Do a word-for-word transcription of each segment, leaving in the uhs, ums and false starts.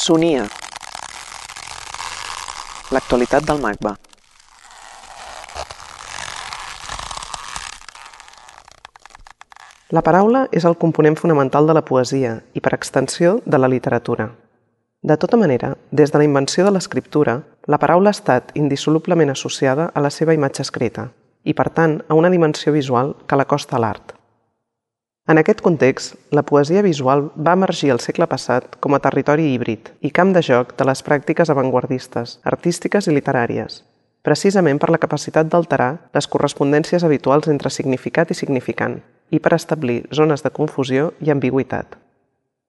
Sonia. L'actualitat del MACBA. La paraula és el component fonamental de la poesia i, per extensió, de la literatura. De tota manera, des de la invenció de l'escriptura, la paraula ha estat indissolublement associada a la seva imatge escrita i, per tant, a una dimensió visual que l'acosta a l'art. En aquest context, la poesia visual va emergir al segle passat com a territori híbrid i camp de joc de les pràctiques avantguardistes, artístiques i literàries, precisament per la capacitat d'alterar les correspondències habituals entre significat i significant i per establir zones de confusió i ambigüitat.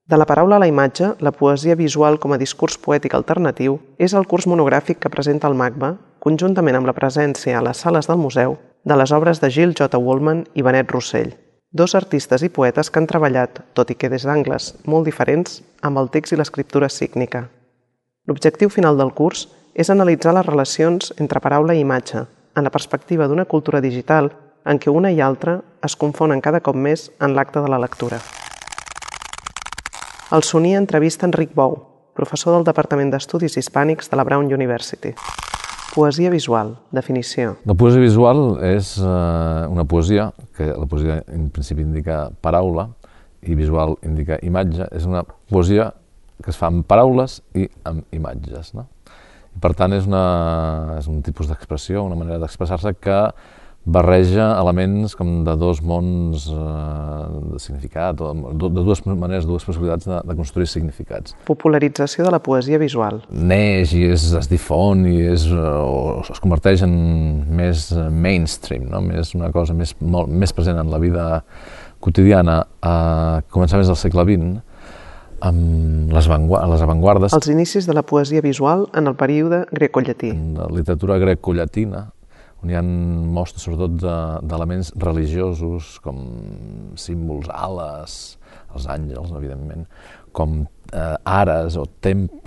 De la paraula a la imatge, la poesia visual com a discurs poètic alternatiu és el curs monogràfic que presenta el MACBA, conjuntament amb la presència a les sales del museu de les obres de Gill J. Woolman i Benet Rossell, dos artistes i poetes que han treballat, tot i que des d'angles molt diferents, amb el text i l'escriptura sígnica. L'objectiu final del curs és analitzar les relacions entre paraula i imatge, en la perspectiva d'una cultura digital en què una i altra es confonen cada cop més en l'acte de la lectura. El Sonia entrevista Enric Bou, professor del Departament d'Estudis Hispànics de la Brown University. Poesia visual, definició. La poesia visual és eh, una poesia, que la poesia en principi indica paraula i visual indica imatge, és una poesia que es fa amb paraules i amb imatges, no? I per tant, és, una, és un tipus d'expressió, una manera d'expressar-se que barreja elements com de dos mons eh, de significat, o de, de dues maneres, dues possibilitats de, de construir significats. Popularització de la poesia visual. Neix i es, es difon i es, o es converteix en més mainstream, no? Més una cosa més, molt, més present en la vida quotidiana a començaments del segle vint, amb les, les avantguardes. Els inicis de la poesia visual en el període grecollatí. En la literatura grecollatina, on hi ha mostres sobretot d'elements religiosos, com símbols, ales, els àngels, evidentment, com eh, ares o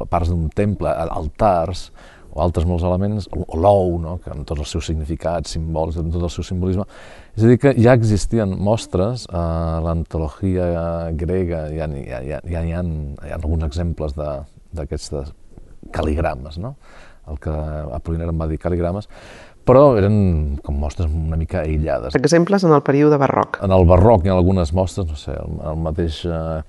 parts d'un temple, altars, o altres molts elements, o l'ou, no? Que amb tots els seus significats, símbols, amb tot el seu simbolisme. És a dir, que ja existien mostres, a l'antologia grega ja n'hi ha, ja, ja hi ha, hi ha alguns exemples d'aquests cal·ligrames, no? El que Apollinaire en va dir cal·ligrames, però eren com mostres una mica aïllades. Exemples en el període barroc. En el barroc hi ha algunes mostres, no sé, el, el mateix eh,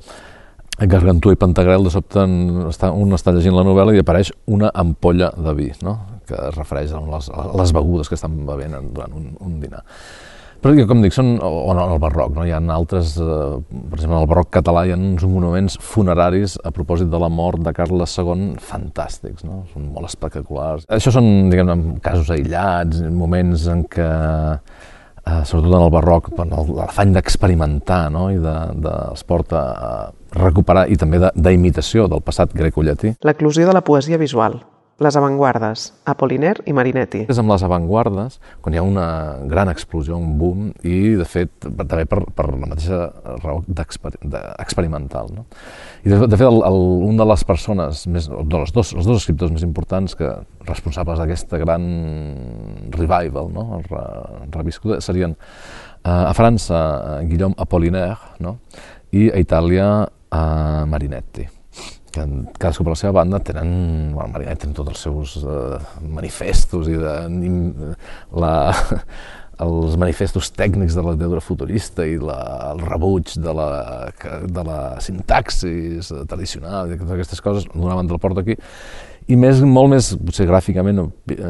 Gargantúa i Pantagruel, de sobte està, un està llegint la novel·la i apareix una ampolla de vi, no? Que es refereix a les, a les begudes que estan bevent durant un, un dinar. Però, com dic, són, o en el barroc, no? Hi ha altres, eh, per exemple, en el barroc català hi ha uns monuments funeraris a propòsit de la mort de Carles segon fantàstics, no? Són molt espectaculars. Això són, diguem-ne, casos aïllats, moments en què, eh, sobretot en el barroc, l'afany d'experimentar, no? I de, de, els porta a recuperar, i també d'imitació del passat grecollatí. L'eclosió de la poesia visual. Les avantguardes, Apollinaire i Marinetti. És amb les avantguardes, quan hi ha una gran explosió, un boom, i de fet també per, per la mateixa raó experimental, no? I de, de fet el, el, un de les persones, més, dels dos, els dos escriptors més importants que responsables d'aquesta gran revival, no? Re, reviscuda, serien eh, a França Guillaume Apollinaire, no? I a Itàlia eh, Marinetti, que cadascú per la seva banda tenen, bueno, Marinetti tenen tots els seus uh, manifestos i de, la, els manifestos tècnics de la literatura futurista i la, el rebuig de la, de la sintaxis tradicional i totes aquestes coses, d'una banda el porta aquí, i més, molt més, potser gràficament, o, eh,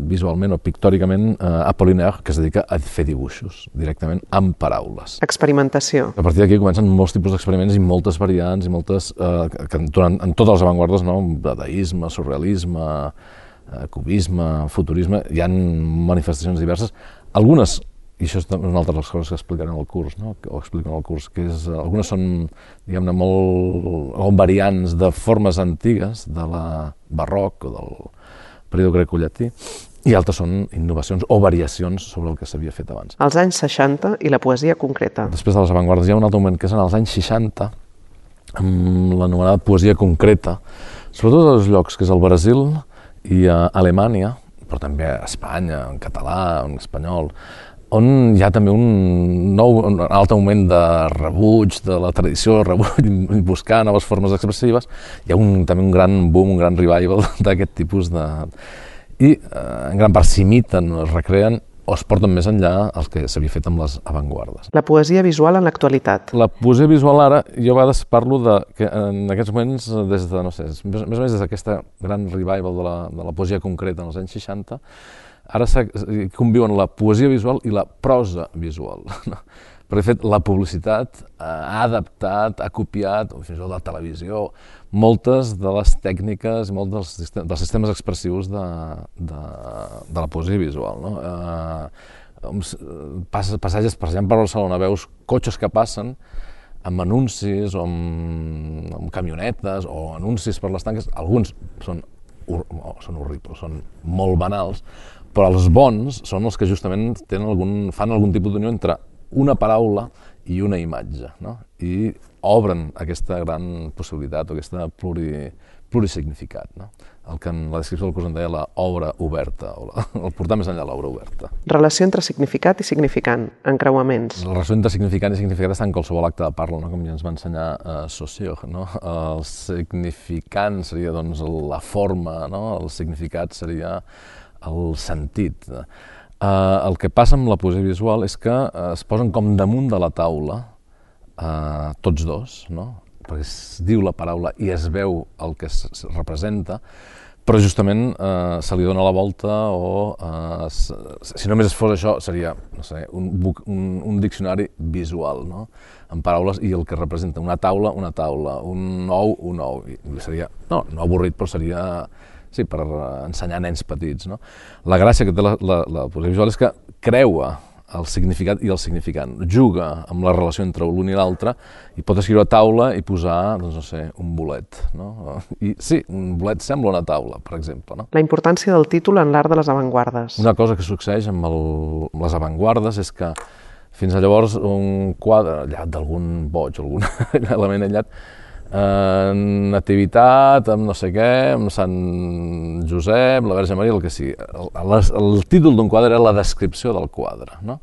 visualment o pictòricament, eh, Apollinaire, que es dedica a fer dibuixos, directament amb paraules. Experimentació. A partir d'aquí comencen molts tipus d'experiments i moltes variants, i moltes, eh, que durant, en totes les avantguardes, no? Dadaisme, surrealisme, eh, cubisme, futurisme, hi ha manifestacions diverses, algunes, i això és una altra de les coses que explicarem al curs, no? O expliquen al curs, que és, algunes són, diguem-ne, molt, molt variants de formes antigues de la barroc o del període grecollatí, i altres són innovacions o variacions sobre el que s'havia fet abans. Els anys seixanta i la poesia concreta. Després de les avantguardes hi ha un altre moment que és en els anys seixanta, amb l'anomenada poesia concreta, sobretot als llocs que és el Brasil i a Alemanya, però també a Espanya, en català, en espanyol, on hi ha també un nou, un altre moment de rebuig de la tradició, rebuig, buscar noves formes expressives. Hi ha un, també un gran boom, un gran revival d'aquest tipus de... I eh, en gran part s'imiten, es recreen o es porten més enllà els que s'havia fet amb les avantguardes. La poesia visual en l'actualitat. La poesia visual ara, jo a vegades parlo de que en aquests moments, des de, no sé, més o menys des d'aquesta gran revival de la, de la poesia concreta en els anys seixanta, ara conviuen la poesia visual i la prosa visual. Perquè, de fet, la publicitat ha adaptat, ha copiat, o fins i tot la televisió, moltes de les tècniques i molts dels, sistem, dels sistemes expressius de, de, de la poesia visual. No? Eh, passatges, per exemple, per Barcelona, veus cotxes que passen amb anuncis o amb, amb camionetes o anuncis per les tanques. Alguns són, oh, són horribles, són molt banals, però els bons són els que justament tenen algun, fan algun tipus d'unió entre una paraula i una imatge, no? I obren aquesta gran possibilitat o aquesta pluri, plurisignificat, no? El que en la descripció del curs en deia l'obra oberta, o la, el portar més enllà l'obra oberta. Relació entre significat i significant, encreuaments. La relació entre significant i significat està en qualsevol acte de parla, no? Com ja ens va ensenyar uh, Saussure, no? El significant seria doncs, la forma, no? El significat seria el sentit. Uh, el que passa amb la poesia visual és que uh, es posen com damunt de la taula, uh, tots dos, no? Perquè es diu la paraula i es veu el que es, es representa, però justament uh, se li dona la volta o, uh, si només fos això, seria no sé, un, un, un diccionari visual, no? En paraules i el que representa una taula, una taula, un ou, un ou. I seria, no, no avorrit, però seria... Sí, per ensenyar nens petits, no? La gràcia que té la, la, la poesia visual és que creua el significat i el significant, juga amb la relació entre l'un i l'altre i pot escriure a taula i posar, doncs no sé, un bolet, no? I sí, un bolet sembla una taula, per exemple, no? La importància del títol en l'art de les avantguardes. Una cosa que succeeix amb, el, amb les avantguardes és que fins a llavors un quadre allat d'algun boig, algun element aïllat, Eh, nativitat, amb no sé què, amb Sant Josep, la Verge Maria, el que sigui. El, el, el títol d'un quadre era la descripció del quadre, no?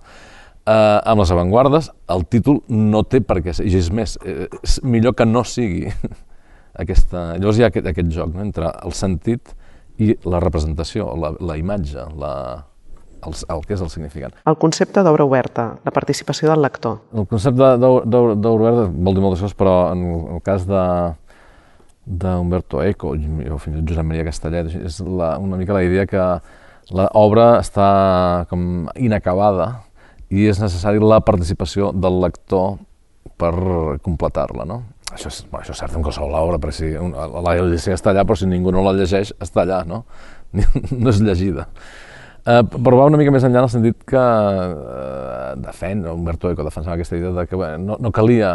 Eh, amb les avantguardes, el títol no té per què ser, i és més, eh, és millor que no sigui aquesta... Llavors hi ha aquest, aquest joc, no? Entre el sentit i la representació, la, la imatge, la... El, el que és el significant. El concepte d'obra oberta, la participació del lector. El concepte d'obra oberta vol dir moltes coses, però en el cas de d'Umberto Eco o fins i tot Josep Maria Castellet, és la, una mica la idea que l'obra està com inacabada i és necessari la participació del lector per completar-la, no? Això és, bueno, això és cert en qualsevol obra, perquè si la Odissea està allà, però si ningú no la llegeix, està allà, no? No és llegida. Uh, però va una mica més enllà en el sentit que uh, defèn, Umberto Eco defensava aquesta idea de que bé, no, no calia,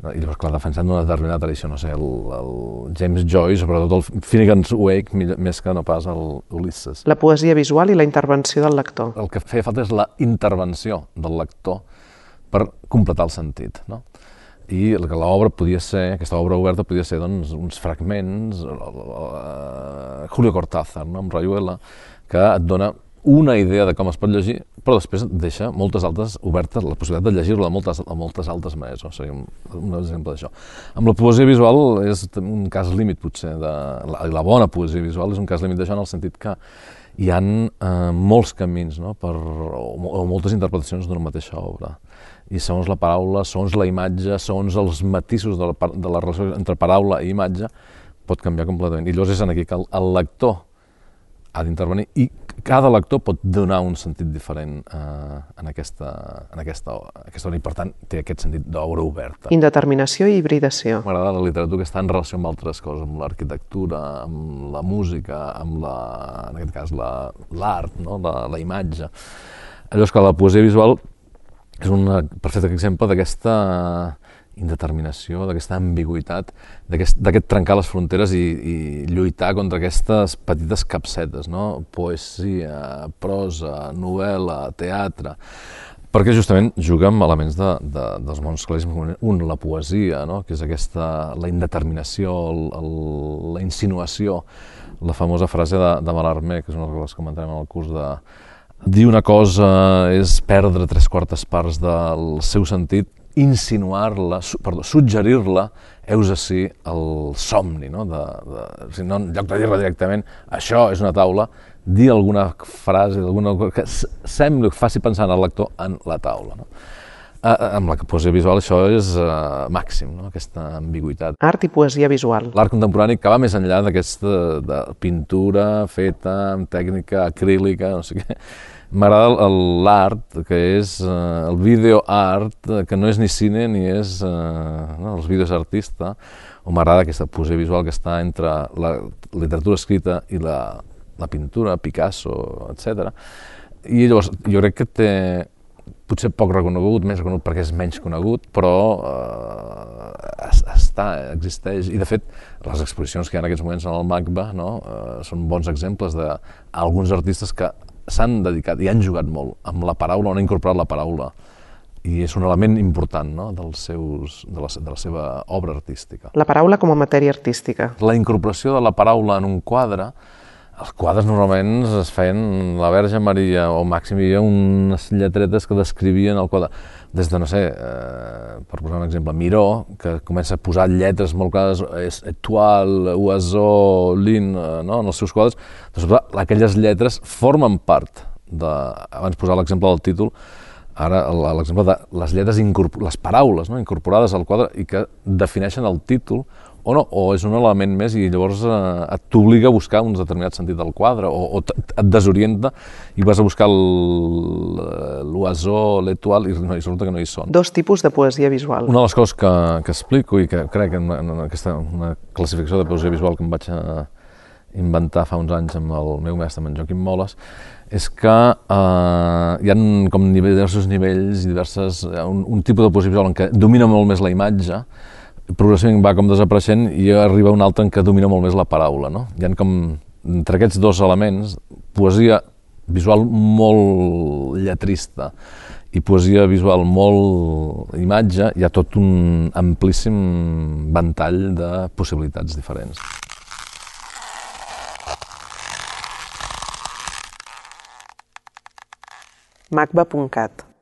no, i llavors clar, defensant una determinada tradició, no sé, el, el James Joyce, sobretot el Finnegan's Wake, més que no pas el Ulisses. La poesia visual i la intervenció del lector. El que feia falta és la intervenció del lector per completar el sentit, no? I l'obra podia ser, aquesta obra oberta podia ser doncs, uns fragments, uh, Julio Cortázar, no? Amb Rayuela, que et dona una idea de com es pot llegir, però després deixa moltes altres obertes, la possibilitat de llegir-la de moltes, de moltes altres maneres, no? Seria un, un exemple d'això. Amb la poesia visual és un cas límit, potser, de, la, la bona poesia visual és un cas límit d'això en el sentit que hi ha eh, molts camins, no? Per, o, o moltes interpretacions d'una mateixa obra. I segons la paraula, segons la imatge, segons els matisos de la, de la relació entre paraula i imatge, pot canviar completament. I llavors és aquí que el, el lector ha d'intervenir i cada lector pot donar un sentit diferent eh, en, aquesta, en aquesta, aquesta obra i per tant té aquest sentit d'obra oberta. Indeterminació i hibridació. M'agrada la literatura que està en relació amb altres coses, amb l'arquitectura, amb la música, amb la, en aquest cas l'art, no? la, la imatge. Llavors que la poesia visual és un perfecte exemple d'aquesta indeterminació, d'aquesta ambigüitat, d'aquest trencar les fronteres i, i lluitar contra aquestes petites capsetes, no? Poesia, prosa, novel·la, teatre, perquè justament juga amb elements de, de, dels mons clàssics, un, la poesia, no? Que és aquesta, la indeterminació, el, el, la insinuació, la famosa frase de, de Mallarmé, que és una de les que comentarem en el curs de dir una cosa és perdre tres quartes parts del seu sentit, insinuar-la, perdó, suggerir-la, heus ací el somni, no? De, de, si no, en lloc de dir-la directament, això és una taula, dir alguna frase, alguna cosa que sembli que faci pensar al lector en la taula. No? Eh, amb la poesia visual això és eh, màxim, no? Aquesta ambigüitat. Art i poesia visual. L'art contemporani que va més enllà d'aquesta de pintura feta amb tècnica acrílica, no sé què. M'agrada l'art, que és eh, el video art, que no és ni cine ni és... Eh, no, els vídeos artista, o m'agrada aquesta poesia visual que està entre la literatura escrita i la, la pintura, Picasso, etcètera. I llavors jo crec que té potser poc reconegut, més reconegut perquè és menys conegut, però eh, està, existeix. I de fet, les exposicions que hi ha en aquests moments en el MACBA, no, eh, són bons exemples d'alguns artistes que s'han dedicat i han jugat molt amb la paraula, on han incorporat la paraula. I és un element important, no? dels seus, de, la, de la seva obra artística. La paraula com a matèria artística. La incorporació de la paraula en un quadre, els quadres normalment es feien la Verge Maria o màxim hi havia unes lletretes que descrivien el quadre. Des de, no sé, eh, per posar un exemple, Miró, que comença a posar lletres molt clares, Étoile, Oiseau, Ligne, eh, no? en els seus quadres, doncs, aquelles lletres formen part de... Abans posar l'exemple del títol, ara l'exemple de les lletres, les paraules no? incorporades al quadre i que defineixen el títol, o no, o és un element més i llavors eh, et t'obliga a buscar un determinat sentit del quadre, o, o et desorienta i vas a buscar l'oiseau, l'étoile, i, no, i resulta que no hi són. Dos tipus de poesia visual. Una de les coses que, que explico i que crec en, en aquesta una classificació de poesia visual que em vaig a inventar fa uns anys amb el meu mestre, amb en Joaquim Moles, és que eh, hi ha com diversos nivells i diverses, un, un tipus de poesia visual en què domina molt més la imatge, progressivament va com desapareixent i arriba un altre en què domina molt més la paraula. No? Hi ha com, entre aquests dos elements, poesia visual molt lletrista i poesia visual molt imatge, hi ha tot un amplíssim ventall de possibilitats diferents. macba punt cat